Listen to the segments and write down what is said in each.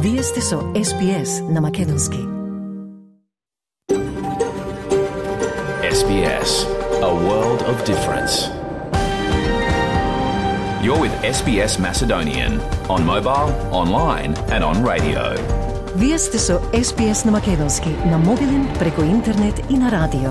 Вие сте со SBS на Македонски. SBS, a world of difference. You're with SBS Macedonian on mobile, online and on radio. Вие сте со SBS на Македонски на мобилен, преку интернет и на радио.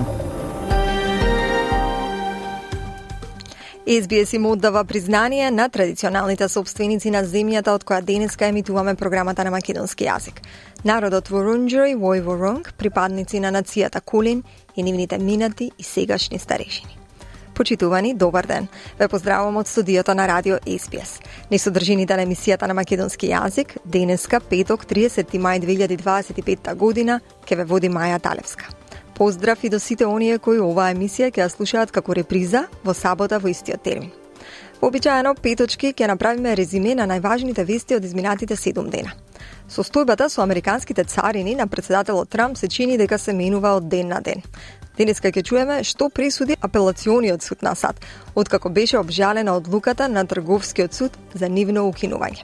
SBS им оддава признание на традиционалните собственици на земјата од која денеска емитуваме програмата на македонски јазик. Народот Вурунџери во Воронг, припадници на нацијата Кулин и нивните минати и сегашни старешини. Почитувани, добар ден. Ве поздравувам од студиото на радио SBS. Низ содржините на емисијата на македонски јазик, денеска, петок, 30 мај 2025 година, ќе ве води Маја Талевска. Поздрав и до сите оние кои оваа емисија ќе ја слушаат како реприза во сабота во истиот термин. Вообичаено, петочки ќе направиме резиме на најважните вести од изминатите 7 дена. Состојбата со американските царини на претседателот Трамп се чини дека се менува од ден на ден. Денеска ќе чуеме што пресуди апелациониот суд на САД, откако беше обжалена одлуката на трговскиот суд за нивно укинување.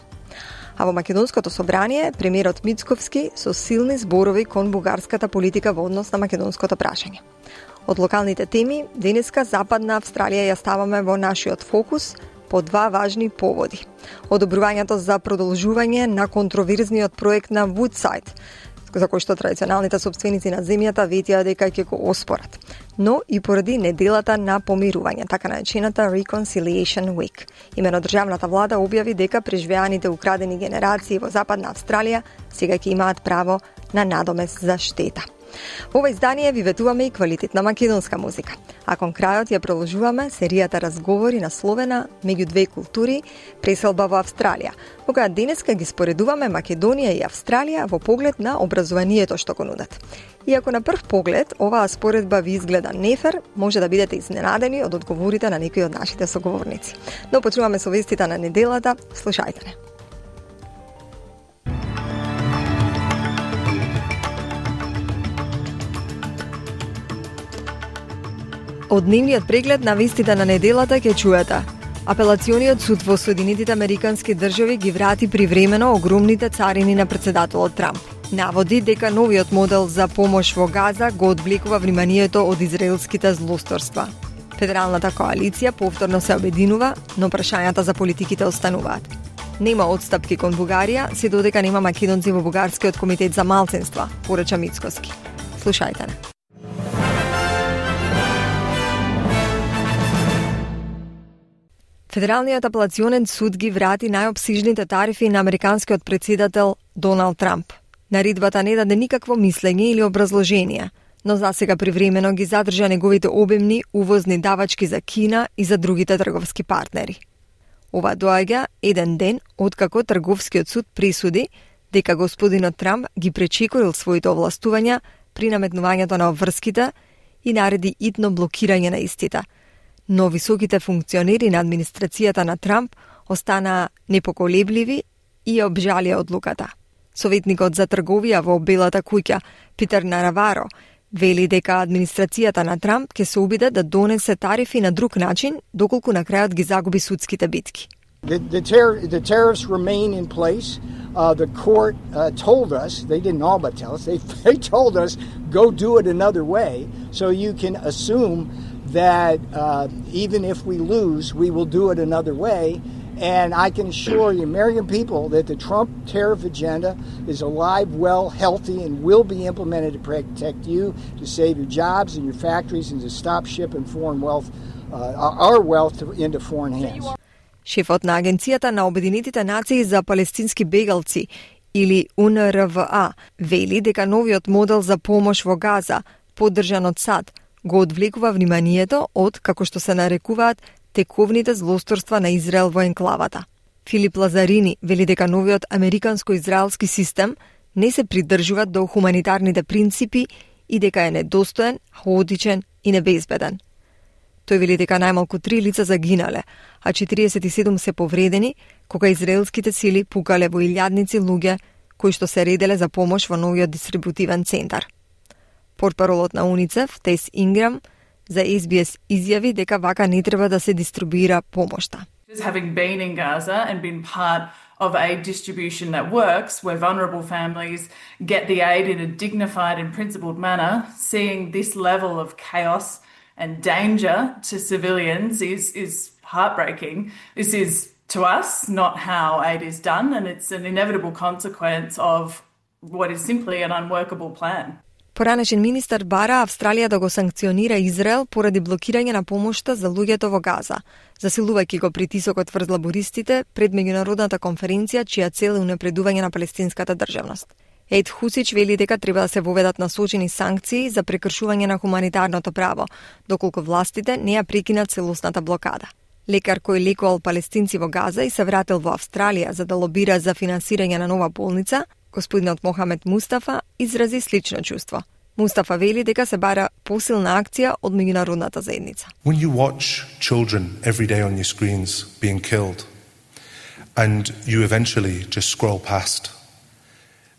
А во Македонското собрание, премиерот Мицковски со силни зборови кон бугарската политика во однос на македонското прашање. Од локалните теми, денеска Западна Австралија ја ставаме во нашиот фокус по два важни поводи. Одобрувањето за продолжување на контроверзниот проект на Вудсайд, за кој што традиционалните собственици на земјата ветија дека ќе го оспорат, но и поради неделата на помирување, така наречената Reconciliation Week. Имено државната влада објави дека преживеаните украдени генерации во Западна Австралија сега ќе имаат право на надомест за штета. Во ова издание ви ветуваме и квалитетна македонска музика, а кон крајот ја продолжуваме серијата разговори насловена меѓу две култури, преселба во Австралија, во која денеска ги споредуваме Македонија и Австралија во поглед на образованието што го нудат. Иако на прв поглед оваа споредба ви изгледа нефер, може да бидете изненадени од одговорите на некои од нашите соговорници. Но почнуваме со вестите на неделата, слушајте не. Од дневниот преглед на вестите на неделата ќе чуете. Апелациониот суд во Соединетите Американски држави ги врати привремено огромните царини на претседателот Трамп. Наводи дека новиот модел за помош во Газа го одвлекува вниманието од израелските злосторства. Федералната коалиција повторно се обединува, но прашањата за политиките остануваат. Нема отстапки кон Бугарија, се додека нема македонци во Бугарскиот комитет за малцинства, порача Мицковски. Слушајте не. Федералниот апелационен суд ги врати најопсижните тарифи на американскиот претседател Доналд Трамп. Наридбата не даде никакво мислење или образложение, но засега привремено ги задржа неговите обемни увозни давачки за Кина и за другите трговски партнери. Ова доаѓа еден ден откако трговскиот суд присуди дека господинот Трамп ги пречекорил своите овластувања при наметнувањето на обврските и нареди итно блокирање на истите. Но високите функционери на администрацијата на Трамп останаа непоколебливи и обжалија одлуката. Советникот за трговија во Белата куќа, Питер Нараваро, вели дека администрацијата на Трамп ќе се обиде да донесе тарифи на друг начин, доколку на крајот ги загуби судските битки. The tariffs remain in place. The court told us, they didn't all but tell us, they told us, go do it another way, so you can assume that even if we lose, we will do it another way. And I can assure the American people that the Trump tariff agenda is alive, well, healthy, and will be implemented to protect you, to save your jobs and your factories, and to stop shipping foreign wealth, our wealth into foreign hands. Шефот на Агенцијата на Обединетите нации за палестински бегалци, или УНРВА, вели дека новиот модел за помош во Газа, поддржан од САД, го одвлекува вниманието од, како што се нарекуваат, тековните злосторства на Израел во енклавата. Филип Лазарини вели дека новиот американско-израелски систем не се придржува до хуманитарните принципи и дека е недостоен, хаотичен и небезбеден. Тој вели дека најмалку 3 лица загинале, а 47 се повредени, кога израелските сили пукале во илјадници луѓе кои што се ределе за помош во новиот дистрибутивен центар. Портпаролот на УНИЦЕФ, Тес Инграм, за SBS изјави дека вака не треба да се дистрибуира помошта. Having been in Gaza and been part of aid distribution that works, where vulnerable families get the aid in a dignified and principled manner, seeing this level of chaos and danger to civilians is heartbreaking. This is, to us, not how aid is done, and it's an inevitable consequence of what is simply an unworkable plan. Поранешен министер бара Австралија да го санкционира Израел поради блокирање на помошта за луѓето во Газа, засилувајќи го притисокот врз лабористите пред меѓународната конференција чија цел е унапредување на палестинската државност. Ед Хусич вели дека треба да се воведат насочени санкции за прекршување на хуманитарното право, доколку властите не ја прекинат целосната блокада. Лекар кој лекувал палестинци во Газа и се вратил во Австралија за да лобира за финансирање на нова болница, господинот Мохамед Мустафа изрази слично чувство. Мустафа вели дека се бара посилна акција од меѓународната заедница. When you watch children every day on your screens being killed and you eventually just scroll past,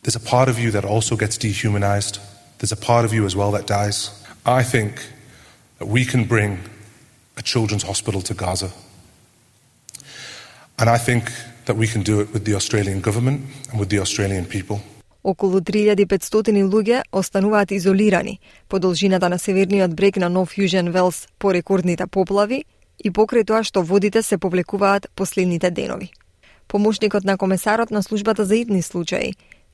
there's a part of you that also gets dehumanized. There's a part of you as well that dies. I think that we can bring a children's hospital to Gaza. And I think that we can do it with the Australian government and with the Australian people. Околу 3500 луѓе остануваат изолирани по должината на северниот брег на Нов Јужен Велс по рекордните поплави и покрај тоа што водите се повлекуваат последните денови. Помошникот на комесарот на службата за итни случаи,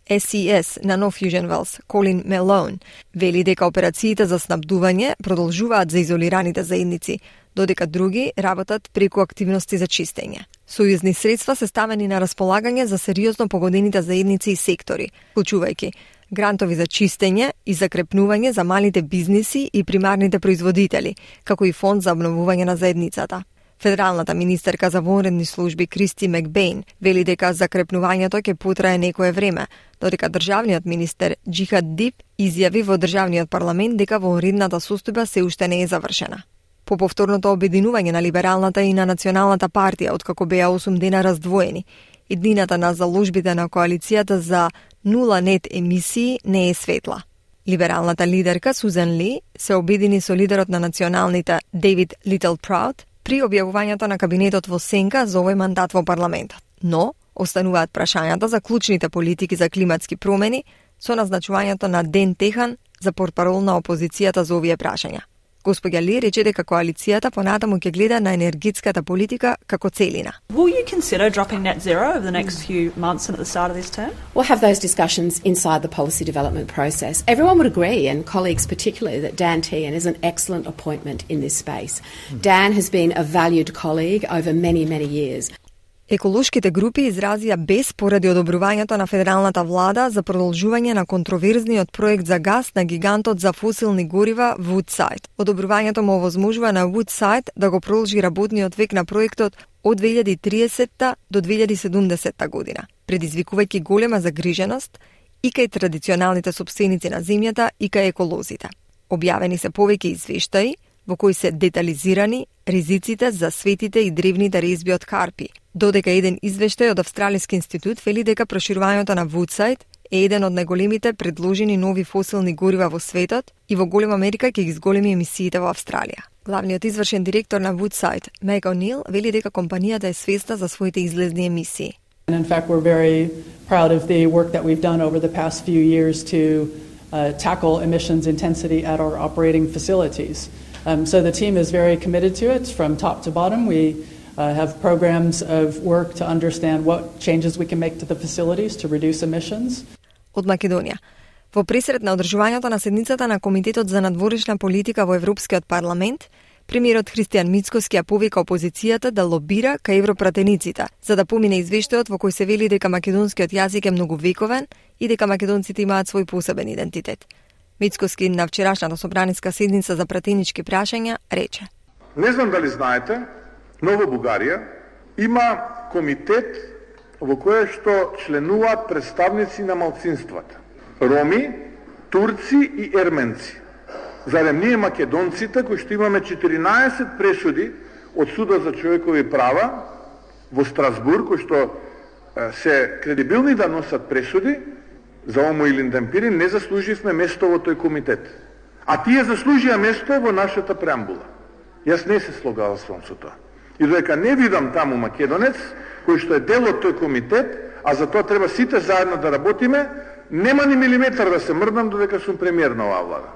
SCS на Нов Јужен Велс, Колин Мелоун, вели дека операциите за снабдување продолжуваат за изолираните заедници, додека други работат преку активности за чистење. Сојузни средства се ставени на располагање за сериозно погодените заедници и сектори, вклучувајќи грантови за чистење и закрепнување за малите бизниси и примарните производители, како и фонд за обновување на заедницата. Федералната министерка за вонредни служби Кристи Макбейн вели дека закрепнувањето ќе потрае некое време, додека државниот министер Джихад Дип изјави во државниот парламент дека вонредната состојба се уште не е завршена. По повторното обединување на либералната и на националната партија, откако беа 8 дена раздвоени, иднината на заложбите на коалицијата за нула нет емисии не е светла. Либералната лидерка Сузан Ли се обедини со лидерот на националните Дейвид Литлпраут при објавувањето на кабинетот во сенка за овој мандат во парламентот. Но остануваат прашањата за клучните политики за климатски промени со назначувањето на Ден Техан за портпарол на опозицијата за овие прашања. Госпоѓа Ли рече дека коалицијата понатаму ќе гледа на енергетската политика како целина. Will you consider dropping net zero over the next few months and at the start of this term? We'll have those discussions inside the policy development process. Everyone would agree, and colleagues particularly, that Dan Tehan is an excellent appointment in this space. Dan has been a valued colleague over many, many years. Еколошките групи изразија бес поради одобрувањето на федералната влада за продолжување на контроверзниот проект за газ на гигантот за фосилни горива Woodside. Одобрувањето му овозможува на Woodside да го продолжи работниот век на проектот од 2030 до 2070 година, предизвикувајќи голема загриженост и кај традиционалните сопственици на земјата и кај еколозите. Објавени се повеќе извештаи во кои се детализирани ризиците за светите и древните резби од карпи, додека еден извештај од Австралиски институт вели дека проширувањето на Woodside е еден од најголемите предложени нови фосилни горива во светот и во голема мерка ќе ги зголеми емисиите во Австралија. Главниот извршен директор на Woodside, Meg O'Neill, вели дека компанијата е свесна за своите излезни емисии. And in fact, we're very proud of the work that we've done over the past few years to tackle emissions intensity at our operating facilities. So the team is very committed to it from top to bottom. We have programs of work to understand what changes we can make to the facilities to reduce emissions. Од Македонија. Во пресред на одржувањето на седницата на Комитетот за надворешна политика во Европскиот парламент, премиерот Христијан Мицкоски ја повика опозицијата да лобира кај европратениците, за да помине извештајот во кој се вели дека македонскиот јазик е многувековен и дека македонците имаат свој посебен идентитет. Мицкоски на вчерашната собраниска седница за пратенички прашања рече: Не знам дали знаете, но во Бугарија има комитет во кој што членуваат представници на малцинствата. Роми, турци и ерменци. Зарем ние македонците, кои што имаме 14 пресуди од Судот за човекови права во Страсбург, кои што се кредибилни да носат пресуди за омо или индемпирин, не заслуживме место во тој комитет. А тие заслужија место во нашата преамбула. Јас не се слогалствам со тоа. И додека не видам таму македонец, кој што е дел од тој комитет, а за тоа треба сите заедно да работиме, нема ни милиметар да се мрдам додека сум премиер на оваа влада.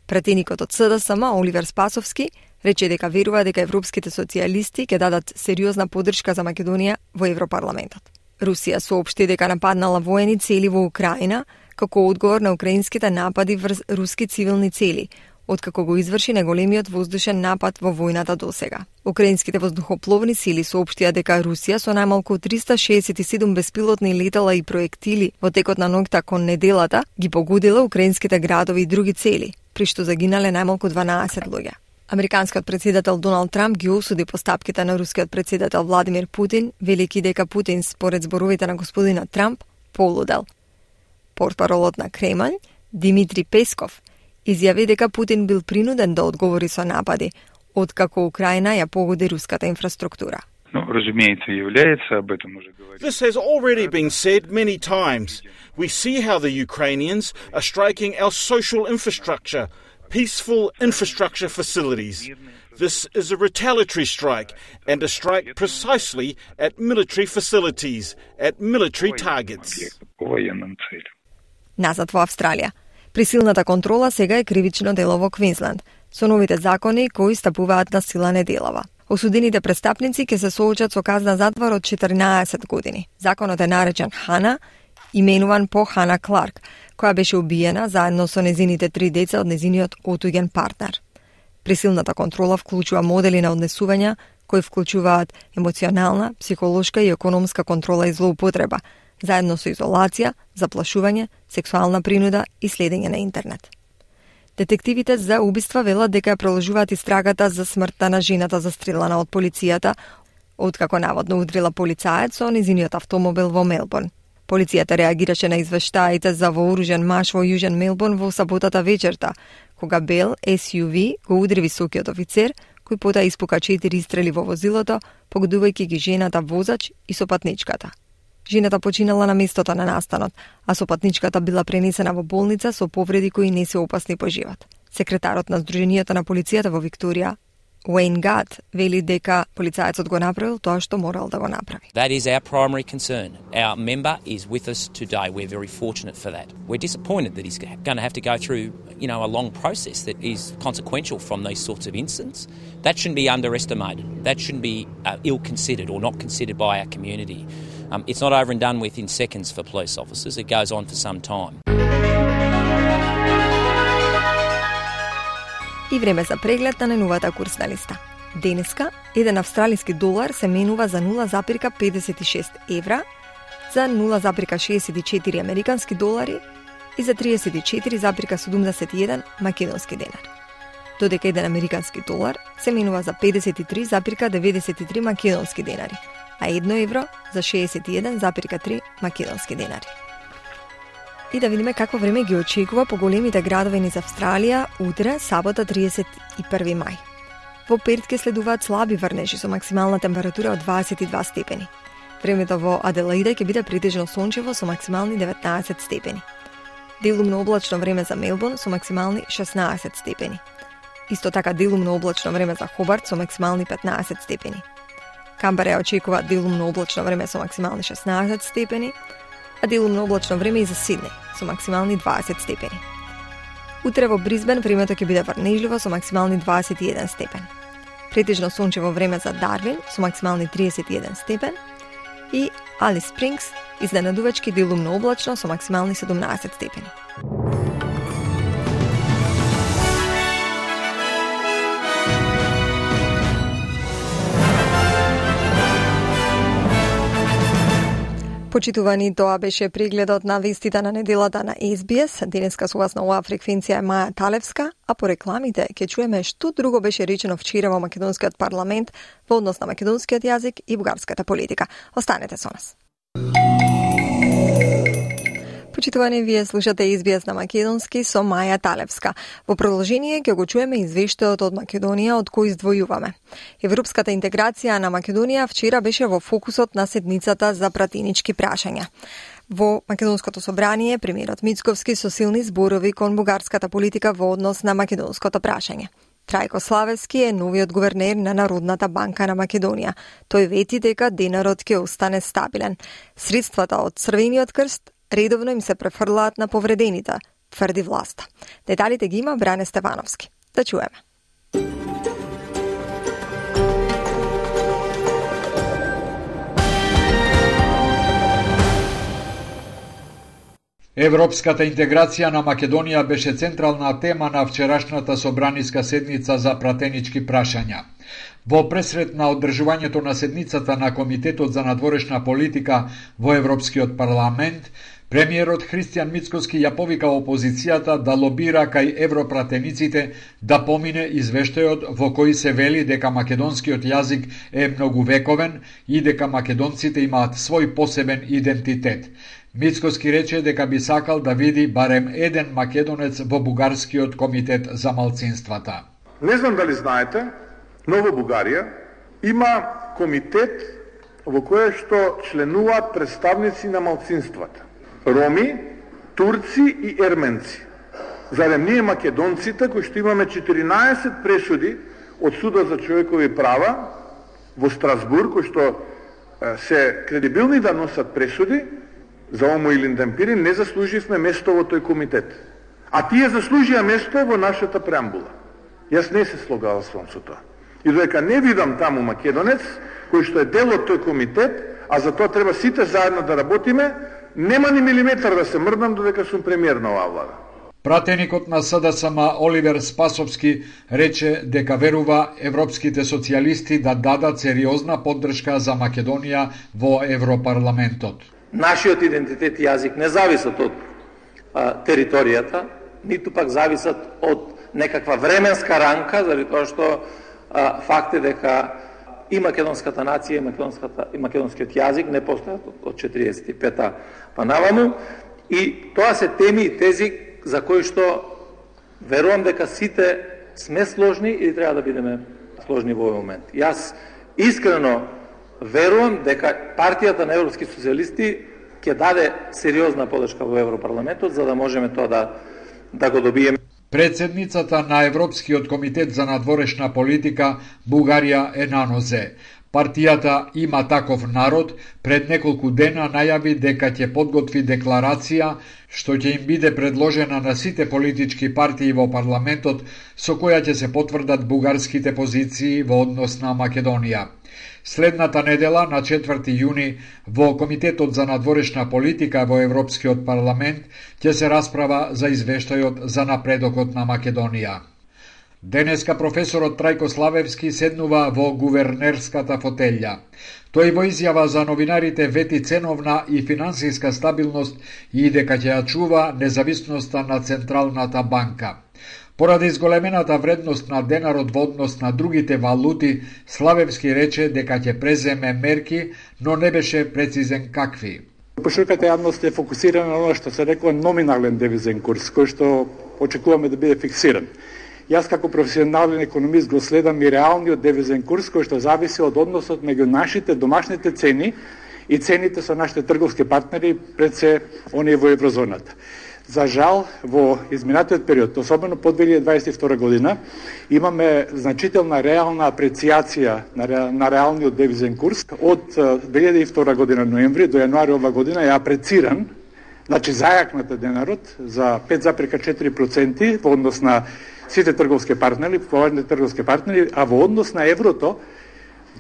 Пратеникот од СДСМ Оливер Спасовски рече дека верува дека европските социјалисти ќе дадат сериозна поддршка за Македонија во Европарламентот. Русија соопшти дека нападнала воени цели во Украина како одговор на украинските напади врз руски цивилни цели, откако го изврши најголемиот воздушен напад во војната досега. Украинските воздухопловни сили соопштија дека Русија со најмалку 367 беспилотни летала и проектили во текот на ноќта кон неделата ги погодила украинските градови и други цели, при што загинале најмалку 12 луѓе. Американскиот претседател Доналд Трамп ги осуди постапките на рускиот претседател Владимир Путин, велики дека Путин, според зборовите на господинот Трамп, полудел. Портпаролот на Кремљ, Димитри Песков, изјави дека Путин бил принуден да одговори со напади, откако Украина ја погоди руската инфраструктура. This has already been said many times. We see how the Ukrainians are striking our social infrastructure, peaceful infrastructure facilities. This is a retaliatory strike, and a strike precisely at military facilities, at military targets. Назад во Австралија. Присилната контрола сега е кривично дело во Квинсленд, со новите закони кои стапуваат на сила неделава. Осудените престапници ќе се соочат со казна затвор од 14 години. Законот е наречен Хана, именуван по Хана Кларк, која беше убиена заедно со незините 3 деца од незиниот отуѓен партнер. Присилната контрола вклучува модели на однесување кои вклучуваат емоционална, психолошка и економска контрола и злоупотреба, заедно со изолација, заплашување, сексуална принуда и следење на интернет. Детективите за убиства велат дека ја продолжуваат истрагата за смртта на жената застрелана од полицијата, откако наводно удрила полицаец со незиниот автомобил во Мелбурн. Полицијата реагираше на извештаите за вооружен маж во Јужен Мелбурн во саботата вечерта, кога бел SUV го удри високиот офицер, кој потоа испука 4 истрели во возилото, погодувајќи ги жената возач и сопатничката. Жената починала на местото на настанот, а сопатничката била пренесена во болница со повреди кои не се опасни по живот. Секретарот на Сдруженијето на полицијата во Викторија, Уейн Гат, вели дека полицаецот го направил тоа што морал да го направи. That is our primary concern. Our member is with us today. We're very fortunate for that. We're disappointed that he's going to have to go through, a long process that is consequential from these sorts of incidents. That shouldn't be underestimated. That shouldn't be ill-considered or not considered by our community. It's not over and done with in seconds for police officers. It goes on for some time. И време за преглед на најновата курсна листа. Денеска, еден австралиски долар се менува за 0,56 евра, за 0,64 американски долари и за 34,71 македонски денари. Додека еден американски долар се менува за 53,93 македонски денари, а 1 евро за 61,3 македонски денари. И да видиме какво време ги очекува по големите градови низ Австралија утре, сабота 31 мај. Во Перт ќе следуваат слаби врнежи со максимална температура од 22 степени. Времето во Аделаида ќе биде претежно сончево со максимални 19 степени. Делумно облачно време за Мелбурн со максимални 16 степени. Исто така делумно облачно време за Хобарт со максимални 15 степени. Камбера ја очекува делумно облачно време со максимални 16 степени, а делумно облачно време и за Сиднеј со максимални 20 степени. Утре во Брисбен времето ќе биде врнежливо со максимални 21 степен. Претежно сончево време за Дарвин со максимални 31 степен и Алис Спрингс изненадувачки делумно облачно со максимални 17 степени. Почитувани, тоа беше прегледот на вестите на неделата на SBS. Денеска со вас на оваа фреквенција е Маја Талевска, а по рекламите ќе чуеме што друго беше речено вчера во македонскиот парламент во однос на македонскиот јазик и бугарската политика. Останете со нас. Почитувани, вие слушате SBS на македонски со Маја Талевска. Во продолжение ќе го чуеме извештајот од Македонија од кој издвојуваме. Европската интеграција на Македонија вчера беше во фокусот на седницата за пратенички прашања. Во Македонското собрание, премиерот Мицковски со силни зборови кон бугарската политика во однос на македонското прашање. Трајко Славевски е новиот гувернер на Народната банка на Македонија. Тој вети дека денарот ќе остане стабилен. Средствата од Црвениот крст редовно им се префрлаат на повредените, тврди власта. Деталите ги има Бране Стевановски. Да чуеме. Европската интеграција на Македонија беше централна тема на вчерашната собраниска седница за пратенички прашања. Во пресрет на одржувањето на седницата на Комитетот за надворешна политика во Европскиот парламент, премиерот Христијан Мицкоски ја повика опозицијата да лобира кај европратениците да помине извештајот во кој се вели дека македонскиот јазик е многувековен и дека македонците имаат свој посебен идентитет. Мицкоски рече дека би сакал да види барем еден македонец во Бугарскиот комитет за малцинствата. Не знам дали знаете, но во Бугарија има комитет во кој што членуваат представници на малцинствата. Роми, турци и ерменци. Зарем ние македонците, кои што имаме 14 пресуди од Судот за човекови права во Страсбург, кои што се кредибилни да носат пресуди за омо или демпири, не заслуживме место во тој комитет. А тие заслужија место во нашата преамбула. Јас не се слогалствам со тоа. И додека не видам таму македонец, кој што е дел од тој комитет, а за тоа треба сите заедно да работиме, нема ни милиметар да се мрдам додека сум премиер на оваа влада. Пратеникот на СДСМ Оливер Спасовски рече дека верува европските социјалисти да дадат сериозна поддршка за Македонија во Европарламентот. Нашиот идентитет и јазик не зависат од територијата, ниту пак зависат од некаква временска рамка, заради тоа што факт е дека и македонската нација и македонскиот јазик не постојат од 45-та па наваму, и тоа се теми и тези за кои што верувам дека сите сме сложни и треба да бидеме сложни во овој момент. Јас искрено верувам дека партијата на европски социјалисти ќе даде сериозна поддршка во Европарламентот за да можеме тоа да го добиеме. Председницата на Европскиот комитет за надворешна политика Бугарија е на нозе. Партијата Има таков народ пред неколку дена најави дека ќе подготви декларација што ќе им биде предложена на сите политички партии во парламентот, со која ќе се потврдат бугарските позиции во однос на Македонија. Следната недела, на 4 јуни, во Комитетот за надворешна политика во Европскиот парламент ќе се расправа за извештајот за напредокот на Македонија. Денеска професорот Трајко Славевски седнува во гувернерската фотелја. Тој во изјава за новинарите вети ценовна и финансиска стабилност и дека ќе ја чува независноста на Централната банка. Поради зголемената вредност на денарот во однос на другите валути, Славевски рече дека ќе преземе мерки, но не беше прецизен какви. Пошироката јавност е фокусирана на оно што се рекува номинален девизен курс, кој што очекуваме да биде фиксиран. Јас како професионален економист го следам и реалниот девизен курс кој што зависи од односот меѓу нашите домашните цени и цените со нашите трговски партнери, пред се оние во еврозоната. За жал, во изминатиот период, особено по 2022 година, имаме значителна реална апрецијација на реалниот девизен курс. Од 2002 година ноември до јануари ова година е апрециран, значи зајакната денарот за 5,4% во однос на сите трговски партнери, поважните трговски партнери, а во однос на еврото,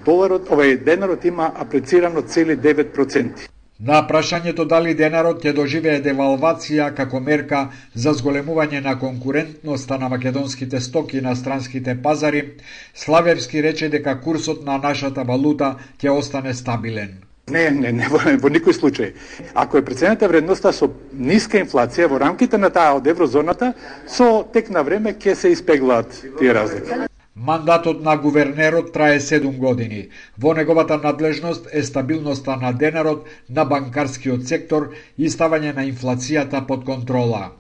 денарот има апрецирано цели 9%. На прашањето дали денарот ќе доживее девалвација како мерка за зголемување на конкурентноста на македонските стоки на странските пазари, Славевски рече дека курсот на нашата валута ќе остане стабилен. Не, во никој случај. Ако е преценета вредноста со ниска инфлација во рамките на таа од еврозоната, со тек на време ќе се испеглаат тие разлики. Мандатот на гувернерот трае 7 години. Во неговата надлежност е стабилноста на денарот, на банкарскиот сектор и ставање на инфлацијата под контрола.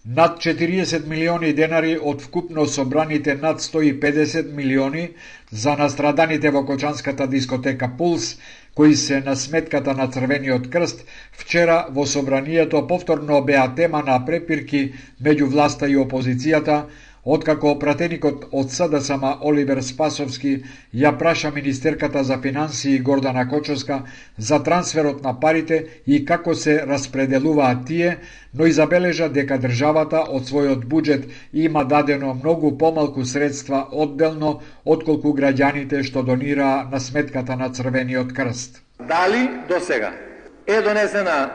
Над 40 милиони денари од вкупно собраните над 150 милиони за настраданите во кочанската дискотека Пулс, кои се на сметката на Црвениот крст, вчера во собранието повторно беа тема на препирки меѓу власта и опозицијата, откако пратеникот од СДСМ Оливер Спасовски ја праша министерката за финансии Гордана Кочовска за трансферот на парите и како се распределуваат тие, но и забележа дека државата од својот буџет има дадено многу помалку средства одделно отколку граѓаните што донираа на сметката на Црвениот крст. Дали до сега е донесена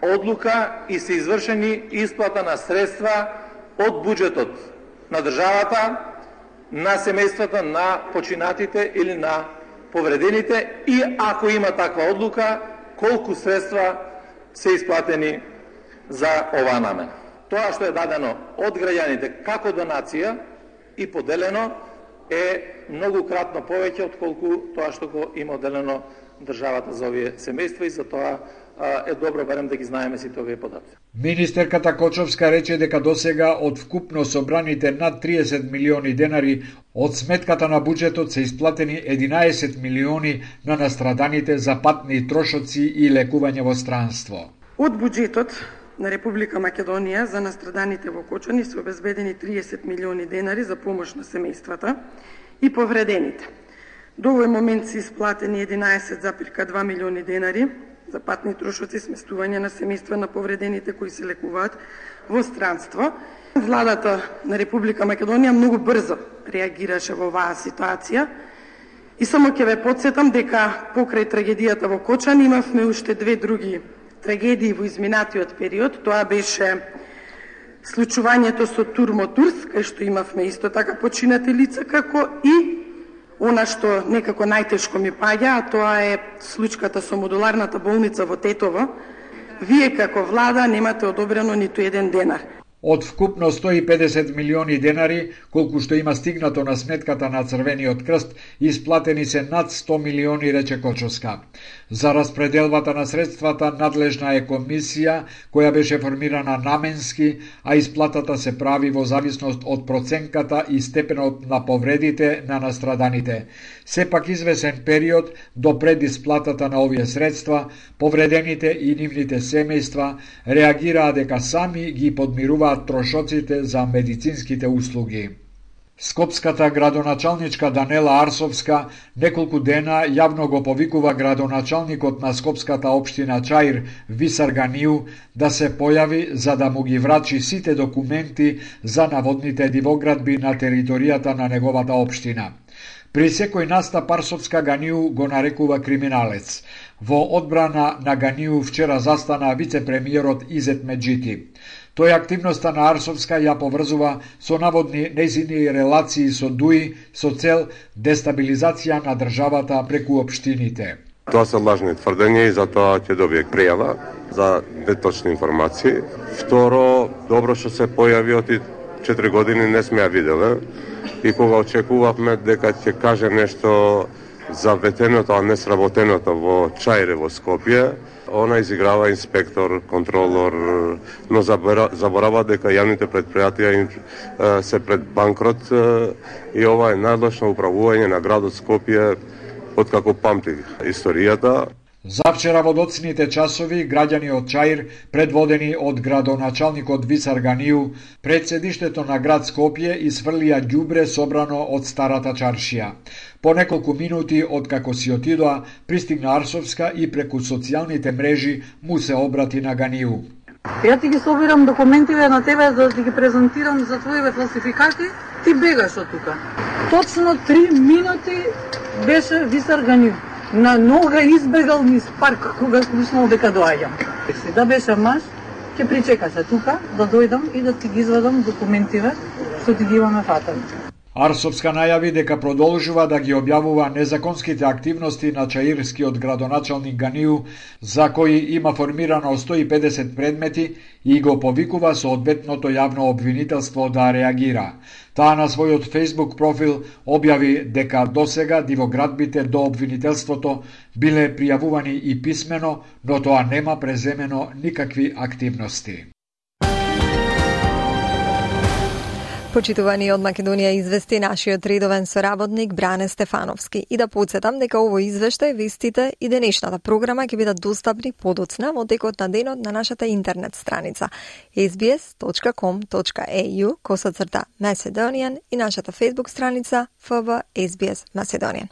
одлука и се извршени исплата на средства од буџетот на државата на семејствата на починатите или на повредените и ако има таква одлука, колку средства се исплатени за оваа намена. Тоа што е дадено од граѓаните како донација и поделено е многукратно повеќе отколку тоа што го има одделено државата за овие семејства и за тоа е добро барем да ги знаеме сите овие податоци. Министерката Кочовска рече дека досега од вкупно собраните над 30 милиони денари од сметката на буџетот се исплатени 11 милиони на настраданите за патни трошоци и лекување во странство. Од буџетот на Република Македонија за настраданите во Кочани се обезбедени 30 милиони денари за помош на семејствата и повредените. До овој момент се исплатени 11,2 милиони денари за патни трошоци, сместување на семејства на повредените кои се лекуваат во странство. Владата на Република Македонија многу брзо реагираше во оваа ситуација и само ќе ве потсетам дека покрај трагедијата во Кочани имавме уште две други трагедии во изминатиот период. Тоа беше случувањето со Турмотурс, кај што имавме исто така починати лица, како и она што некако најтешко ми паѓа, а тоа е случката со модуларната болница во Тетово. Вие како влада немате одобрено ниту еден денар. Од вкупно 150 милиони денари, колку што има стигнато на сметката на Црвениот крст, исплатени се над 100 милиони, рече Кочовска. За распределбата на средствата надлежна е комисија која беше формирана наменски, а исплатата се прави во зависност од проценката и степенот на повредите на настраданите. Сепак извесен период до пред исплатата на овие средства, повредените и нивните семејства реагираа дека сами ги подмируваат трошоците за медицинските услуги. Скопската градоначалничка Данела Арсовска неколку дена јавно го повикува градоначалникот на Скопската општина Чаир Висар Ганију да се појави за да му ги врачи сите документи за наводните дивоградби на територијата на неговата општина. При секој настап Арсовска Ганију го нарекува криминалец. Во одбрана на Ганију вчера застана вице-премиерот Изет Меджити. Тој активноста на Арсовска ја поврзува со наводни нејзини релации со ДУИ со цел дестабилизација на државата преку општините. Тоа се лажни тврдења и затоа ќе добие пријава за неточни информации. Второ, добро што се појави од 4 години не сме ја виделе и кога очекувавме дека ќе каже нешто за ветеното, а не сработеното во Чаире во Скопје, она изиграва инспектор, контролор, но заборава дека јавните предпријатија се пред банкрот и ова е најлошно управување на градот Скопје откако памти историјата. Завчера во доцните часови граѓани од Чаир, предводени од градоначалникот Висар Ганију, пред седиштето на град Скопје исфрлија ѓубре собрано од старата чаршија. По неколку минути откако си отидоа, пристигна Арсовска и преку социјалните мрежи му се обрати на Ганију. Ја ти ги собирам документиве на тебе за да ги презентирам за твоите фалсификати, ти бегаш од тука. Точно 3 минути беше Висар Ганију. На нога избегал низ парк кога слушнал дека доаѓам. Да беше маж, ќе причекаше тука да дојдам и да ти ги извадам документиве што ти ги имаме фатани. Арсовска најави дека продолжува да ги објавува незаконските активности на чаирскиот градоначалник Ганију, за кои има формирано 150 предмети и го повикува соодветното јавно обвинителство да реагира. Таа на својот Facebook профил објави дека досега дивоградбите до обвинителството биле пријавувани и писмено, но тоа нема преземено никакви активности. Почитувани од Македонија извести нашиот редовен соработник Бране Стефановски. И да подсетам дека овој извештај, вестите и денешната програма ќе бидат достапни подоцна во текот на денот на нашата интернет страница sbs.com.au/Macedonian и нашата Facebook страница FB SBS Macedonian.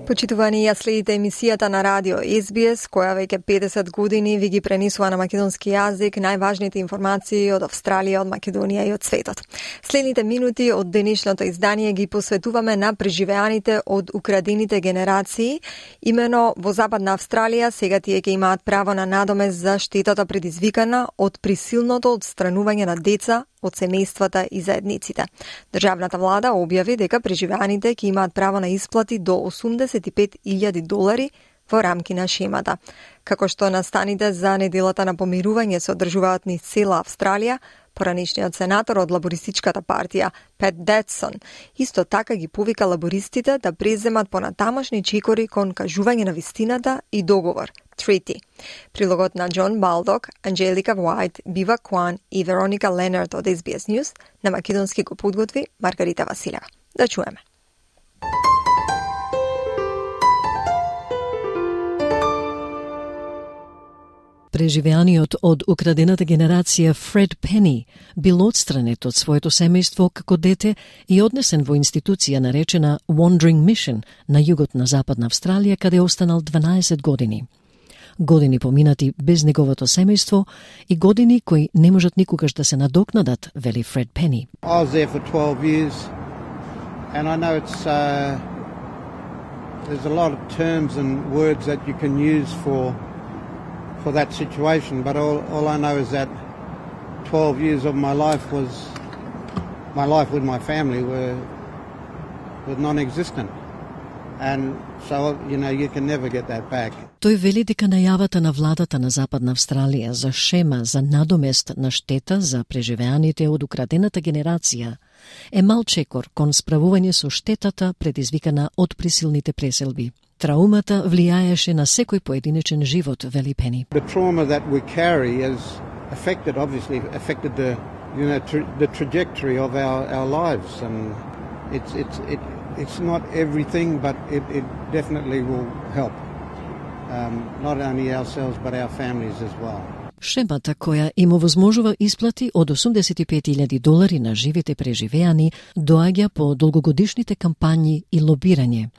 Почитувани, ја следите емисијата на радио SBS, која веќе 50 години ви ги пренесува на македонски јазик најважните информации од Австралија, од Македонија и од светот. Следните минути од денешното издание ги посветуваме на преживеаните од украдените генерации. Имено во Западна Австралија сега тие ќе имаат право на надомест за штетата предизвикана од присилното отстранување на деца од семејствата и заедниците. Државната влада објави дека преживеаните ќе имаат право на исплати до $85,000 во рамки на шемата. Како што настаните за неделата на помирување се одржуваат низ цела Австралија, поранешниот сенатор од лабористичката партија Пет Датсон исто така ги повика лабористите да преземат понатамошни чекори кон кажување на вистината и договор, treaty. Прилогот на Џон Балдок, Анџелика Вајт, Бива Куан и Вероника Ленард од SBS News на македонски го подготви Маргарита Василева. Да чуеме. Преживеаниот од украдената генерација Фред Пени бил отстранет од своето семејство како дете и однесен во институција наречена Wandering Mission на југот на Западна Австралија, каде останал 12 години. Години поминати без неговото семејство и години кои не можат никогаш да се надокнадат, вели Фред Пени. I was there for 12 years and I know it's there's a lot of terms and words that you can use for that situation, but all I know is that 12 years of my life with my family were non-existent, and so you can never get that back. Тој вели дека најавата на владата на Западна Австралија за шема за надомест на штета за преживеаните од украдената генерација е мал чекор кон справување со штетата предизвикана од присилните преселби. Траумата влијаеше на секој поединечен живот, вели Пени. The trauma that we carry has affected the trajectory of our lives, and it's not everything, but it definitely will help. Not only ourselves but our families as well. Шемата која им овозможува исплати од $85,000 на живите преживеани доаѓа по долгогодишните кампањи и лобирање.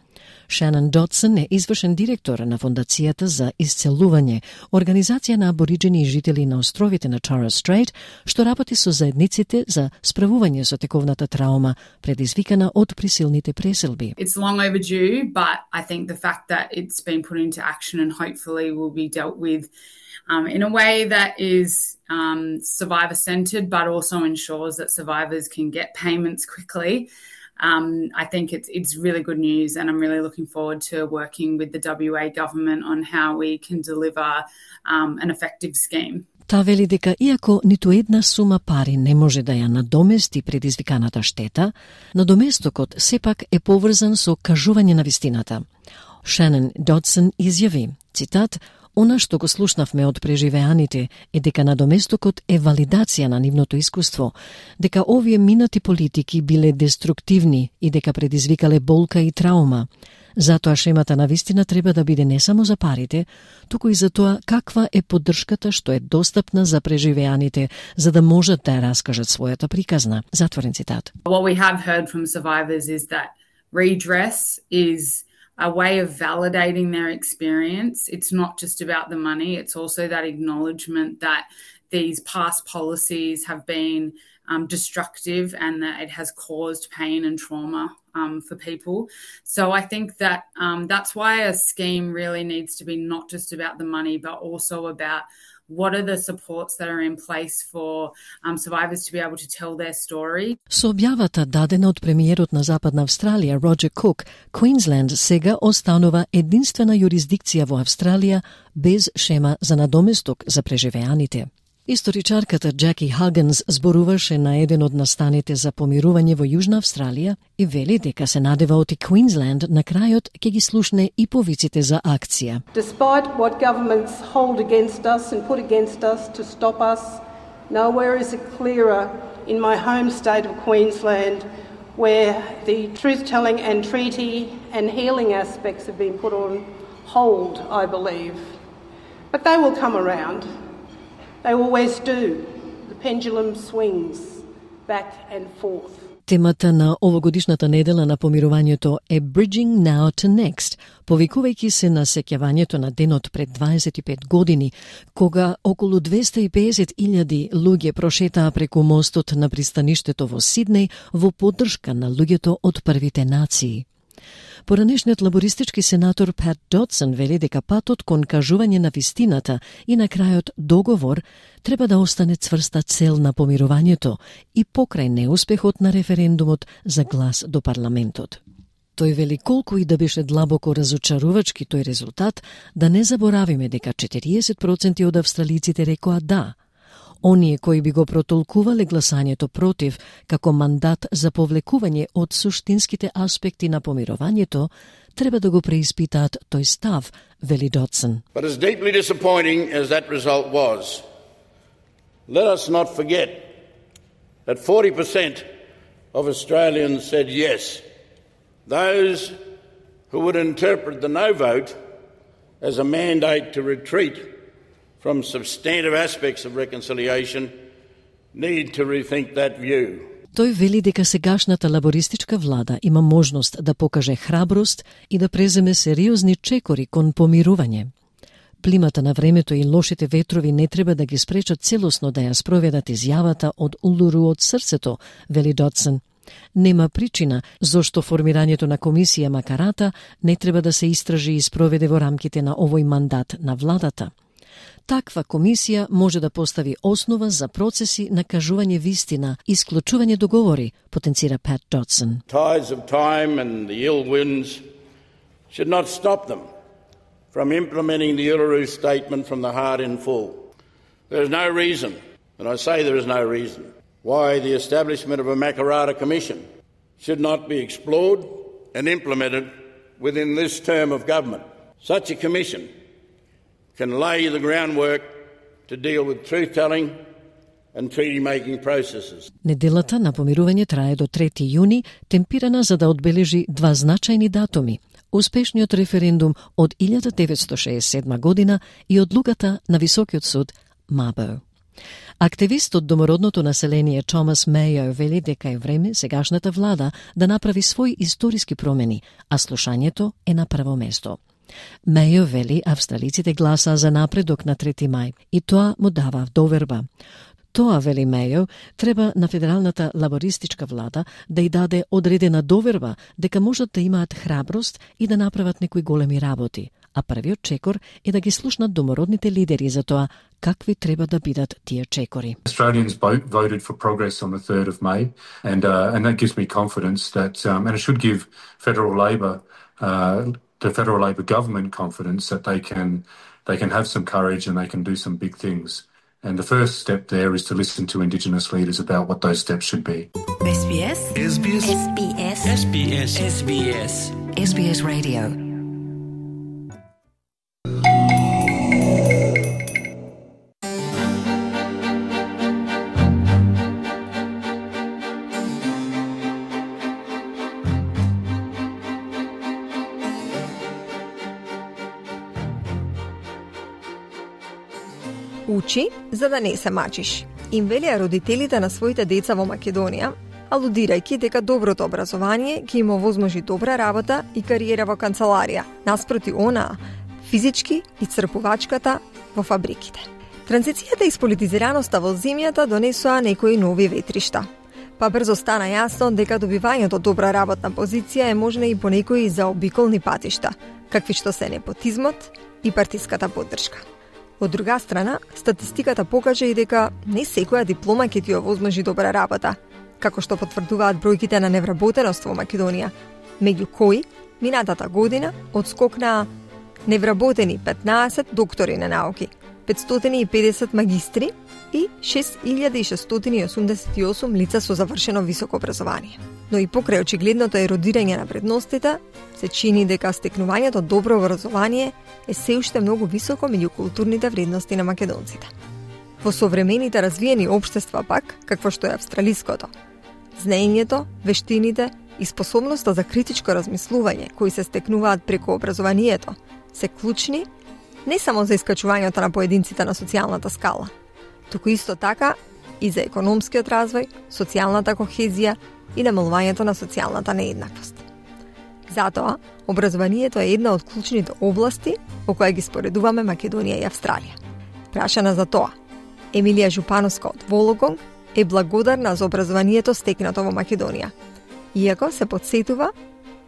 Шанон Дотсон е извршен директор на Фондацијата за исцелување, организација на абориџени жители на островите на Torres Strait, што работи со заедниците за справување со тековната траума предизвикана од присилните преселби. It's long overdue, but I think the fact that it's been put into action and hopefully will be dealt with in a way that is survivor-centred, but also ensures that survivors can get payments quickly. I think it's really good news, and I'm really looking forward to working with the WA government on how we can deliver an effective scheme. Та вели дека иако ниту една сума пари не може да ја надомести предизвиканата штета, надоместокот сепак е поврзан со кажување на вистината. Шанон Дотсон изјави, цитат, "Она што го слушнавме од преживеаните е дека надоместокот е валидација на нивното искуство, дека овие минати политики биле деструктивни и дека предизвикале болка и траума. Затоа шемата на вистина треба да биде не само за парите, туку и за тоа каква е поддршката што е достапна за преживеаните, за да можат да ја раскажат својата приказна." Затворен цитат. What we have heard from survivors is that redress is a way of validating their experience. It's not just about the money, it's also that acknowledgement that these past policies have been destructive and that it has caused pain and trauma for people. So I think that that's why a scheme really needs to be not just about the money, but also about what are the supports that are in place for survivors to be able to tell their story. Со објавата дадена од премиерот на Западна Австралија, Роџер Кук, Квинсленд сега останува единствена јурисдикција во Австралија без шема за надоместок за преживеаните. Историчарката Джаки Хагенс зборуваше на еден од настаните за помирување во Јужна Австралија и вели дека се надева оти Квинсленд на крајот ќе ги слушне и повиците за акција. Despite what governments hold against us and put against us to stop us, Nowhere is it clearer in my home state of Queensland, where the truth-telling and treaty and healing aspects have been put on hold, I believe. But they will come around. They always do. The pendulum swings back and forth. Темата на овогодишната недела на помирувањето е Bridging Now to Next, повикувајќи се на сеќавањето на денот пред 25 години, кога околу 250.000 луѓе прошетаа преку мостот на пристаништето во Сиднеј во поддршка на луѓето од првите нации. Поранешниот лабористички сенатор Пат Додсон вели дека патот кон кажување на вистината и на крајот договор треба да остане цврста цел на помирувањето и покрај неуспехот на референдумот за глас до парламентот. Тој вели колку и да беше длабоко разочарувачки тој резултат, да не заборавиме дека 40% од австралиците рекоа да. Оние кои би го протолкувале гласањето против како мандат за повлекување од суштинските аспекти на помирувањето, треба да го преиспитаат тој став, вели Додсон. But as deeply disappointing as that result was, let us not forget that 40% of Australians said yes. Those who would interpret the no vote as a mandate to retreat from substantive aspects of reconciliation need to rethink that view. Тој вели дека сегашната лабористичка влада има можност да покаже храброст и да преземе сериозни чекори кон помирување. Плимата на времето и лошите ветрови не треба да ги спречат целосно да ја спроведат изјавата од Улуру од срцето, вели Додсон. Нема причина зошто формирањето на комисија Макарата не треба да се истражи и спроведе во рамките на овој мандат на владата. Таква комисија може да постави основа за процеси на кажување вистина и склучување договори, потенцира Пат Додсон. Tides of time and the ill winds should not stop them from implementing the Uluru Statement from the heart in full. There is no reason, and I say there is no reason, why the establishment of a Makarrata Commission should not be explored and implemented within this term of government. Such a commission can lay the groundwork to deal with truth-telling and treaty-making processes. Неделата на помирување трае до 3 јуни, темпирана за да одбележи два значајни датуми: успешниот референдум од 1967 година и одлуката на Високиот суд Мабо. Активист од домородното население Томас Мејо вели дека е време сегашната влада да направи своји историски промени, а слушањето е на прво место. Мејо вели австралиците гласаа за напредок на 3 мај и тоа му дава доверба. Тоа, вели Мејо, треба на федералната лабористичка влада да ја даде одредена доверба дека можат да имаат храброст и да направат некои големи работи, а првиот чекор е да ги слушнат домородните лидери за тоа какви треба да бидат тие чекори. Australians voted for progress on the 3rd of May, and that gives me confidence that, and it should give Federal Labor, the Federal Labor government confidence that they can have some courage and they can do some big things. And the first step there is to listen to Indigenous leaders about what those steps should be. SBS. SBS. SBS. SBS. SBS. SBS Radio. Учи за да не се мачиш. Им велеа родителите на своите деца во Македонија, алудирајќи дека доброто образование ќе им овозможи добра работа и кариера во канцеларија, наспроти онаа физички и црпувачката во фабриките. Транзицијата и сполитизираноста во земјата донесоа некои нови ветришта. Па брзо стана јасно дека добивањето добра работна позиција е можна и по некои заобиколни патишта, какви што се непотизмот и партиската поддршка. Од друга страна, статистиката покажа и дека не секоја диплома ќе ти овозможи добра работа, како што потврдуваат бројките на невработеност во Македонија, меѓу кои минатата година одскокнаа невработени 15 доктори на науки, 550 магистри и 6688 лица со завршено високо образование. Но и покрај очигледното еродирање на вредностите, се чини дека стекнувањето добро образование е се уште многу високо меѓу културните вредности на македонците. Во современите развиени општества пак, какво што е австралиското, знаењето, вештините и способноста за критичко размислување кои се стекнуваат преку образованието се клучни не само за искачувањето на поединците на социјалната скала, туку исто така и за економскиот развој, социјалната кохезија и намалувањето на социјалната нееднаквост. Затоа, образованието е една од клучните области во која ги споредуваме Македонија и Австралија. Прашана за тоа, Емилија Жупановска од Вологонг е благодарна за образованието стекнато во Македонија, иако се подсетува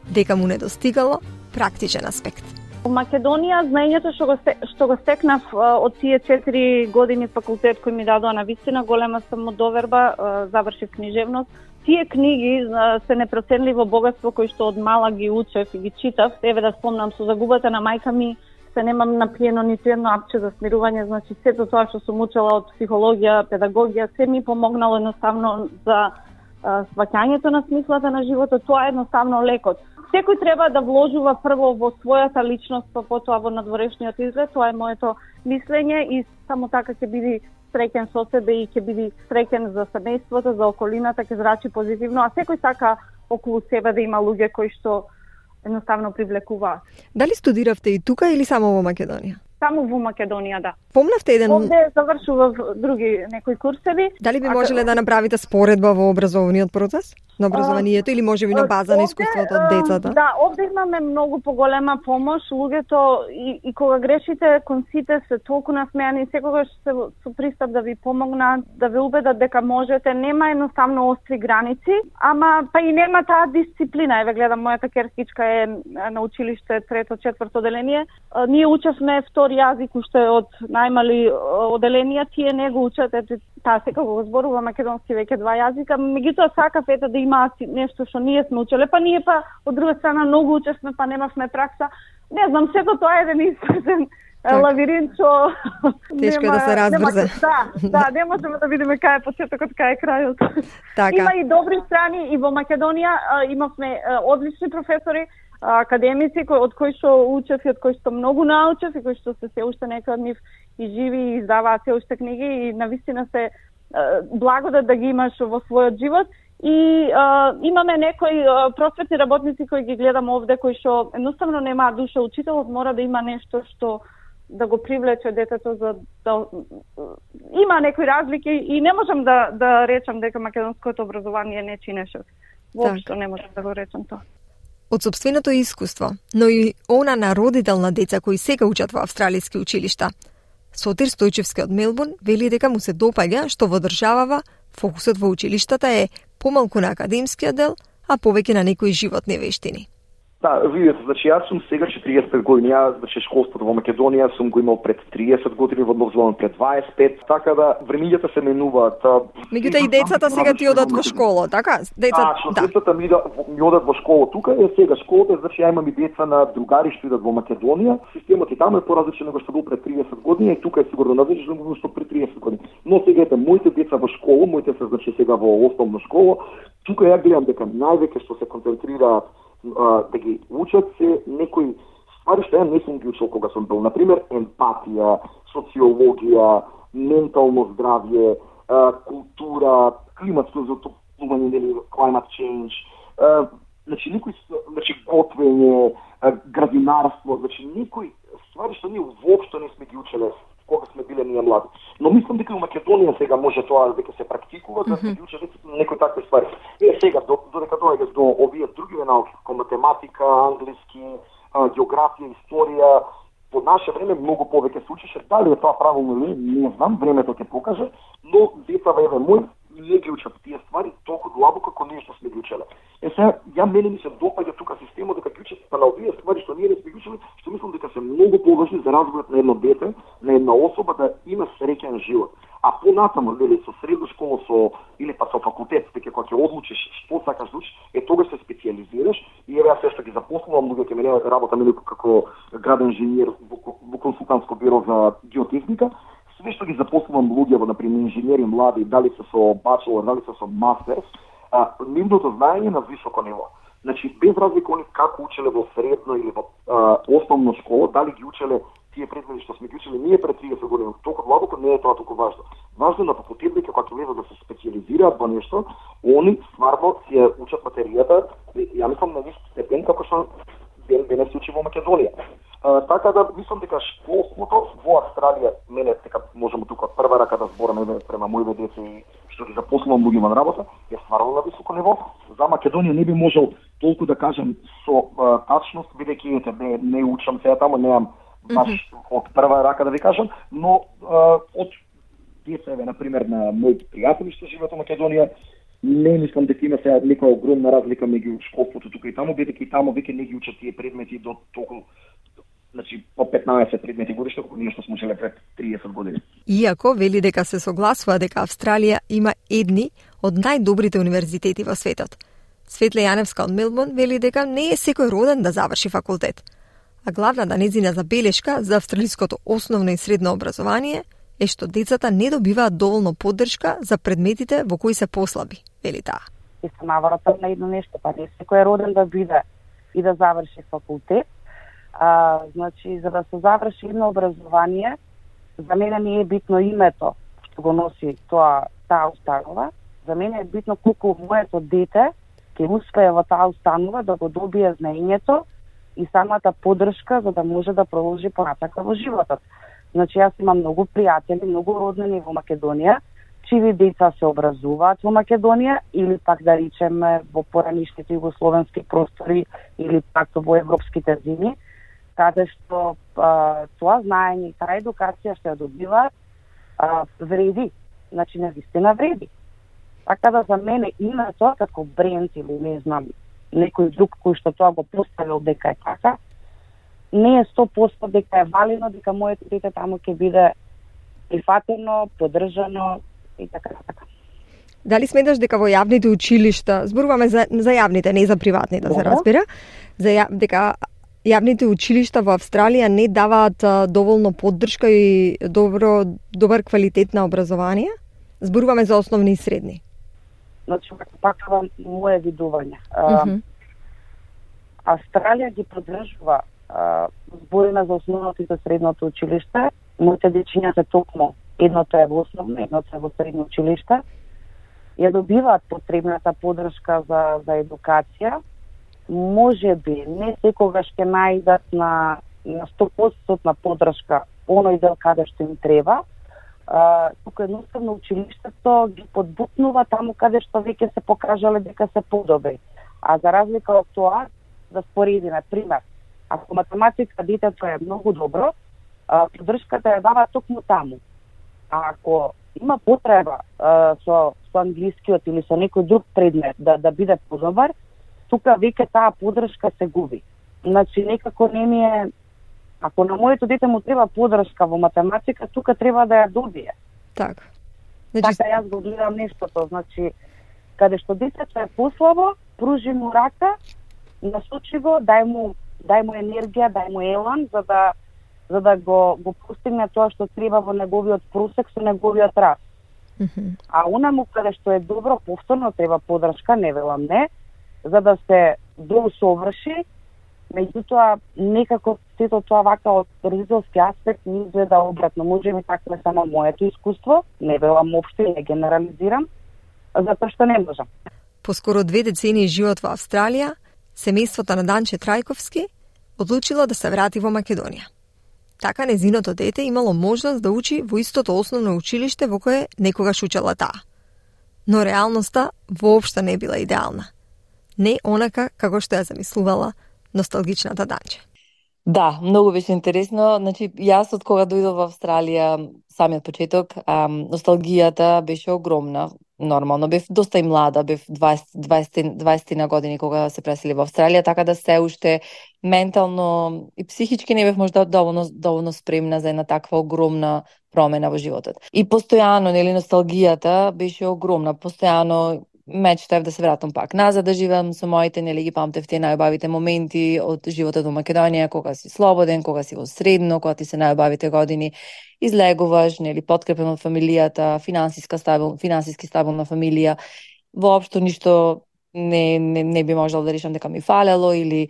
дека му недостигало практичен аспект. Во Македонија знаењето што го стекнав од тие 4 години факултет кои ми дадоа на вистина голема самодоверба, завршив книжевност. Тие книги се непроценливо богатство кои што од мала ги учев и ги читав. Еве да спомнам, со загубата на мајка ми се немам напиено ниту едно апче за смирување, значи сето тоа што сум учела од психологија, педагогија, се ми помогнало едноставно за сваќањето на смислата на животот. Тоа е едноставно лекот. Секој треба да вложува прво во својата личност, па потоа во надворешниот изглед. Тоа е моето мислење и само така ќе биде среќен со себе и ќе биде среќен за семејството, за околината, ќе зрачи позитивно, а секој сака околу себе да има луѓе кои што едноставно привлекуваат. Дали студиравте и тука или само во Македонија? Само во Македонија, да. Помнавте еден... Овде завршував други некои курсеви. Дали би можеле да направите споредба во образовниот процес? На образованието или можеби на база на искуството од децата? Да, овде имаме многу поголема помош. Луѓето и кога грешите, конците се толку насмеани, секогаш се со пристап да ви помогнат, да ве убедат дека можете. Нема едноставно остри граници, ама па и нема таа дисциплина. Еве гледам, мојата керкичка е на училиште 3-4 оделение. Ние учевме втори јазик уште од најмали оделенија, тие не го учат, таа сега го зборува македонски веќе 2 јазика, меѓутоа сакав да има нешто што ние сме учеле, па ние па од друга страна многу учевме, па немавме пракса. Не знам, сето тоа е еден испратен лавиринт што тешко е да се разбрзе. Да, не можеме да видиме кај е почетокот, кај е крајот. Така. Има и добри страни и во Македонија имавме одлични професори, академици од кои што учев и од кои што многу научев и кои што се уште некои од нив и живи и издаваат се уште книги и навистина се благодат да ги имаш во својот живот. И имаме некои просветни работници кои ги гледам овде, кои што едноставно немаат душа. Учителот мора да има нешто што да го привлече детето за да има некои разлики и не можам да речам дека македонското образование не чинеше. Воопшто не можам да го речам тоа. Од сопственото искуство, но и она на родител на деца кои сега учат во австралиски училишта. Сотир Стојчевски од Мелбурн вели дека му се допаѓа што во државава фокусот во училиштата е помалку на академскиот дел, а повеќе на некои животни вештини. Да, видите, значи јас сум сега 45 години, јас значи школството во Македонија сум го имал пред 30 години, во Нов Зеланд пред 25, така да времињата се менуваат. Меѓутоа и децата сега ти одат во школа, така? Децата ми одат во школа тука, е сега школата, значи ја имам и деца на другари што идат во Македонија. Системот и таму е поразличен него што бил пред 30 години и тука е сигурно различен него што пред 30 години. Но сега ете моите деца во школа, моите се значи сега во основна школа, тука ја гледам дека највеќе што се концентрираат да ги учат се некои ствари што ја не сум ги учил кога сум бил. Например, емпатија, социологија, ментално здравје, култура, климатско затоплување, нели, climate change, значи готвење, градинарство, значи некои ствари што ние воопшто не сме ги учеле кога сме биле ние млади. Но мислам дека во Македонија сега може тоа дека се практикува, да се ги учат некои такви ствари. Сега додека доаѓаш до овие други науки, како математика, англиски, географија, историја, по наше време многу повеќе се учеше. Дали е тоа правилно или не знам, времето ќе покаже, но децава еве мој не ги учат тие ствари толку длабоко како ние што сме ги учеле. Сега мене ми се допаѓа тука системот дека ги учат па на овие ствари што ние не сме ги учеле, што мислам дека се многу поважни за развојот на едно дете, на една особа да има среќен живот. А понатаму, нели, со средна школа, или па со факултет, дека кога ќе одлучиш што сакаш да учиш, тогаш се специјализираш и еве јас што ги запослувам луѓе, ме работам како граден инженер во консултантско биро за геотехника. Све што ги запослувам луѓе во например инженери млади, дали се со бачелор, дали се со мастерс, нивното знаење на високо ниво. Значи без разлика они како учеле во средно или во основна школа, дали ги учеле тие предмети што сме ги учеле ние пред 30 години, толку длабоко не е тоа толку важно. Важно на факултетите кога ќе влезат да се специализираат во нешто, они стварно си ја учат материјата, ја мислам на ист степен како што денес се учи во Македонија. Така да мислам дека школството во Австралија, мене дека можеме тука од прва рака да збораме према моите деца и што ги запослувам луѓе на работа, е стварно на високо ниво. За Македонија не би можел толку да кажам со тачност, бидејќи не учам сега таму, немам баш од прва рака да ви кажам, но од децеве, например, на моите пријатели што живеат во Македонија, не мислам дека има сега нека огромна разлика меѓу школството тука и таму, бидејќи и таму веќе не ги учат тие предмети до толку, значи по 15 предмети годишно, колку ние што сме учеле пред 30 години. Иако вели дека се согласува дека Австралија има едни од најдобрите универзитети во светот. Светле Јаневска од Мелбурн вели дека не е секој роден да заврши факултет. А главната нејзина забелешка за австралиското основно и средно образование е што децата не добиваат доволно поддршка за предметите во кои се послаби, вели таа. И се навратам на едно нешто, па не секој е роден да биде и да заврши факултет. Значи, за да се заврши едно образование, за мене не е битно името што го носи таа установа. За мене е битно колку моето дете ќе успее во таа установа да го добие знаењето и самата поддршка за да може да продолжи понатака во животот. Значи, јас имам многу пријатели, многу роднини во Македонија, чиви деца се образуваат во Македонија или пак да речеме во поранишните југословенски простори или пак во европските земји, каде што тоа знаење и таа едукација што ја добиваат вреди. Значи, навистина вреди. Така да за мене името како бренд или не знам, некој друг кој што тоа го поставил дека е така, не е 100% дека е валидно, дека моето дете таму ќе биде прифатено, поддржано и така. Дали сметаш дека во јавните училишта, зборуваме за јавните, не за приватните, да се разбира, дека јавните училишта во Австралија не даваат доволно поддршка и добар квалитет на образование? Зборуваме за основни и средни. Значи, пак моје видување. Австралија ги поддржува збориме за основното и за средното училиште. Моите дечиња се токму, едното е во основно, едното е во средно училиште. Ја добиваат потребната поддршка за едукација. Може би не секогаш ќе најдат на 100% на поддршка оној дел каде што им треба. Тука едноставно училиштето ги подбутнува таму каде што веќе се покажале дека се подобри. А за разлика од тоа, да споредиме, пример, ако математика детето е многу добро, поддршката ја дава токму таму. А ако има потреба со англискиот или со некој друг предмет да биде подобар, тука веќе таа поддршка се губи. Значи, некако не ми е... Ако на моето дете му треба поддршка во математика, тука треба да ја добие. Така. Значи... Така јас го гледам нештото. Значи, каде што детето е послабо, пружи му рака, насочи го, дај му енергија, дај му елан, за да го постигне тоа што треба во неговиот просек со неговиот раст. А онаму каде што е добро, повторно треба поддршка, не велам не, за да се доусоврши. Меѓутоа, некако сето тоа вака од родителски аспект не изгледа обратно. Може би така е само моето искуство, не велам општо и не генерализирам, затоа што не можам. По скоро 2 децении живот во Австралија, семејството на Данче Трајковски одлучило да се врати во Македонија. Така незиното дете имало можност да учи во истото основно училиште во кое некогаш учела таа. Но реалноста воопшто не била идеална. Не онака како што ја замислувала носталгичната Данче. Да, многу беше интересно. Значи, јас од кога дојдов во Австралија, самиот почеток, носталгијата беше огромна. Нормално, бев доста и млада, бев 20 на години кога се пресели во Австралија, така да се уште ментално и психички не бев можда доволно спремна за една таква огромна промена во животот. И постојано, нели, носталгијата беше огромна. Постојано мечтаев да се вратам пак назад да живеам со моите, нели, ги памтев тие најубавите моменти од животот во Македонија, кога си слободен, кога си во средно, кога ти се најубавите години, излегуваш, нели, подкрепен од фамилијата, финансиски стабилна фамилија. Воопшто ништо не би можел да решам дека ми фалело или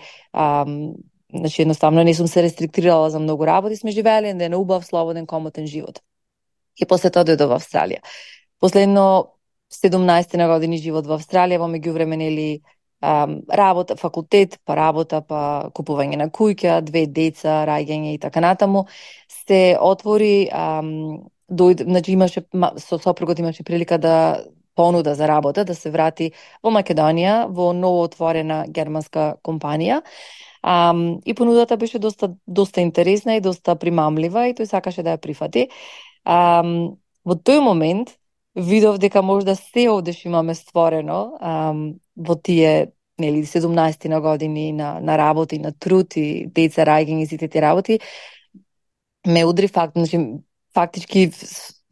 значи едноставно не сум се рестриктирала за многу работи, сме живееле на убав, слободен, комотен живот. И после тоа дојдов во Австралија. Последно 17 години живот во Австралија, во меѓувреме нели работа, факултет, па работа, па купување на куќа, 2 деца, раѓање и така натаму, се отвори, значи имаше, со сопругот имаше прилика да понуда за работа, да се врати во Македонија, во ново отворена германска компанија. И понудата беше доста интересна и доста примамлива и тој сакаше да ја прифати. Во тој момент видов дека можда се овдеш имаме створено во тие 17 години на работа и на труд и деца, раѓање и сите тие работи. Ме удри фактички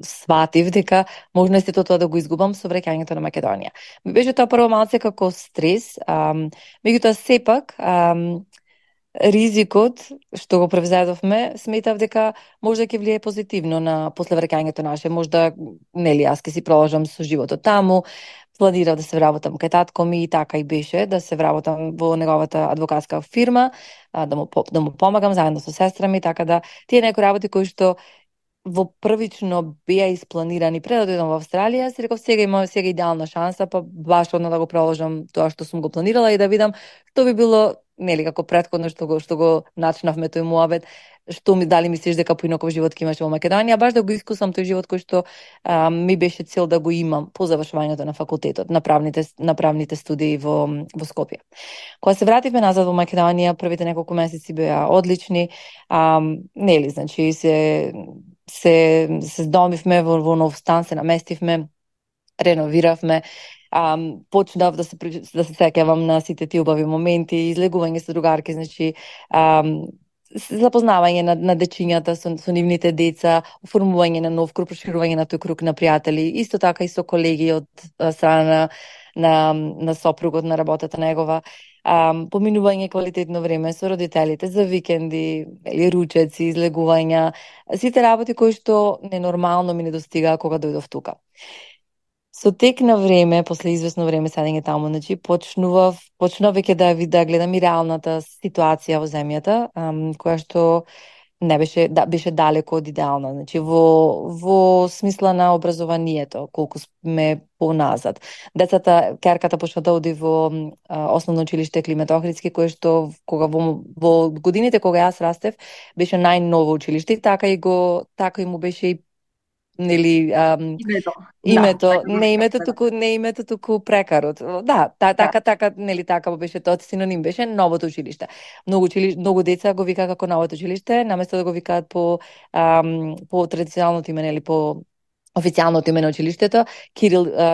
сватив дека можна сето тоа да го изгубам со враќањето на Македонија. Ми беше тоа прво малце како стрес, меѓутоа сепак ризикот што го превзедовме, сметав дека можда ќе влие позитивно на после враќањето наше, можда нели јас ќе си продолжам со животот таму, планирав да се вработам кај татко ми и така и беше, да се вработам во неговата адвокатска фирма, да му помагам заедно со сестра ми, така да тие некои работи кои што во првично беа испланирани пред да дојдам во Австралија, си реков сега идеална шанса, па баш одно да го продолжам тоа што сум го планирала и да видам што би било, нели како претходно што го начнавме тој муабет, дали мислиш дека поинаков живот ќе имаш во Македонија, баш да го искусам тој живот кој што ми беше цел да го имам по завршувањето на факултетот, на правните студии во Скопје. Кога се вративме назад во Македонија, првите неколку месеци беа одлични, нели, значи се здомивме во нов стан, се наместивме, реновиравме, почнав да се сеќавам на сите тие убави моменти, излегување со другарки, значи запознавање на дечињата со нивните деца, оформување на нов круг, проширување на тој круг на пријатели, исто така и со колеги од страна на сопругот, на работата негова, поминување квалитетно време со родителите за викенди, ручеци, излегувања, сите работи кои што ненормално ми недостигаа кога дојдов тука. Со тек на време, после извесно време седење таму, значи почнував веќе да гледам и реалната ситуација во земјата, која што не беше далеко од идеална, значи во смисла на образованието, колку сме поназад. Керката почна да оди во основно училиште Климент Охридски, кое што во годините кога јас растев беше најново училиште и така и му беше и нели името, не името, туку прекарот. Да, така нели така беше тоа, синоним беше новото училиште. Многу деца го викаа како новото училиште, наместо да го викаат по традиционалното име, нели по официјалното име на училиштето,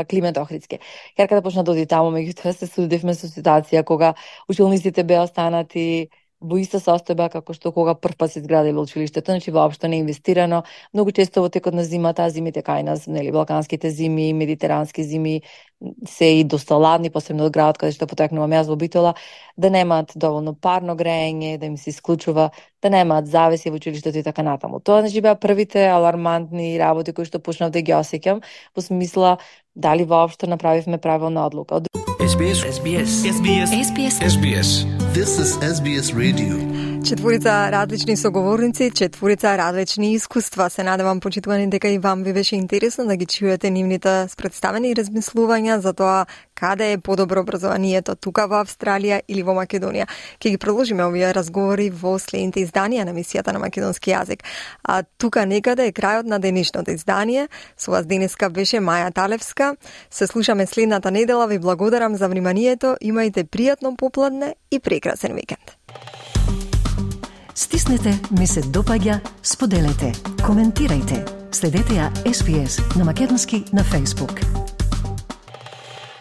Климент Охридски. Керката почна да оди таму, меѓутоа се судевме со ситуација кога училниците беа останати во иста состојба како што кога прв пат се изградило училиштето, значи воопшто не инвестирано. Многу често во текот на зимата, зимите кај нас, нели балканските зими, медитерански зими се и доста ладни, посебно од градот каде што потекнувам јас во Битола, да немаат доволно парно грејење, да им се исклучува, да немаат завеси во училиштето и така натаму. Тоа значи беа првите алармантни работи кои што почнав да ги осеќам, во смисла дали воопшто направивме правилна одлука. SBS. This is SBS Radio. Четворица различни соговорници, четворица различни искуства. Се надевам, почитувани, дека и вам ви беше интересно да ги чуете нивните представени и размислувања за тоа каде е подобро образованието, тука во Австралија или во Македонија. Ќе ги продолжиме овие разговори во следните изданија на емисијата на македонски јазик. А тука некаде е крајот на денешното издание. Со вас денеска беше Маја Талевска. Се слушаме следната недела. Ви благодарам за вниманието. Имајте пријатно попладне и прекрасен викенд. Стиснете, ми се допаѓа, споделете, коментирајте. Следете ја SBS на македонски на Facebook.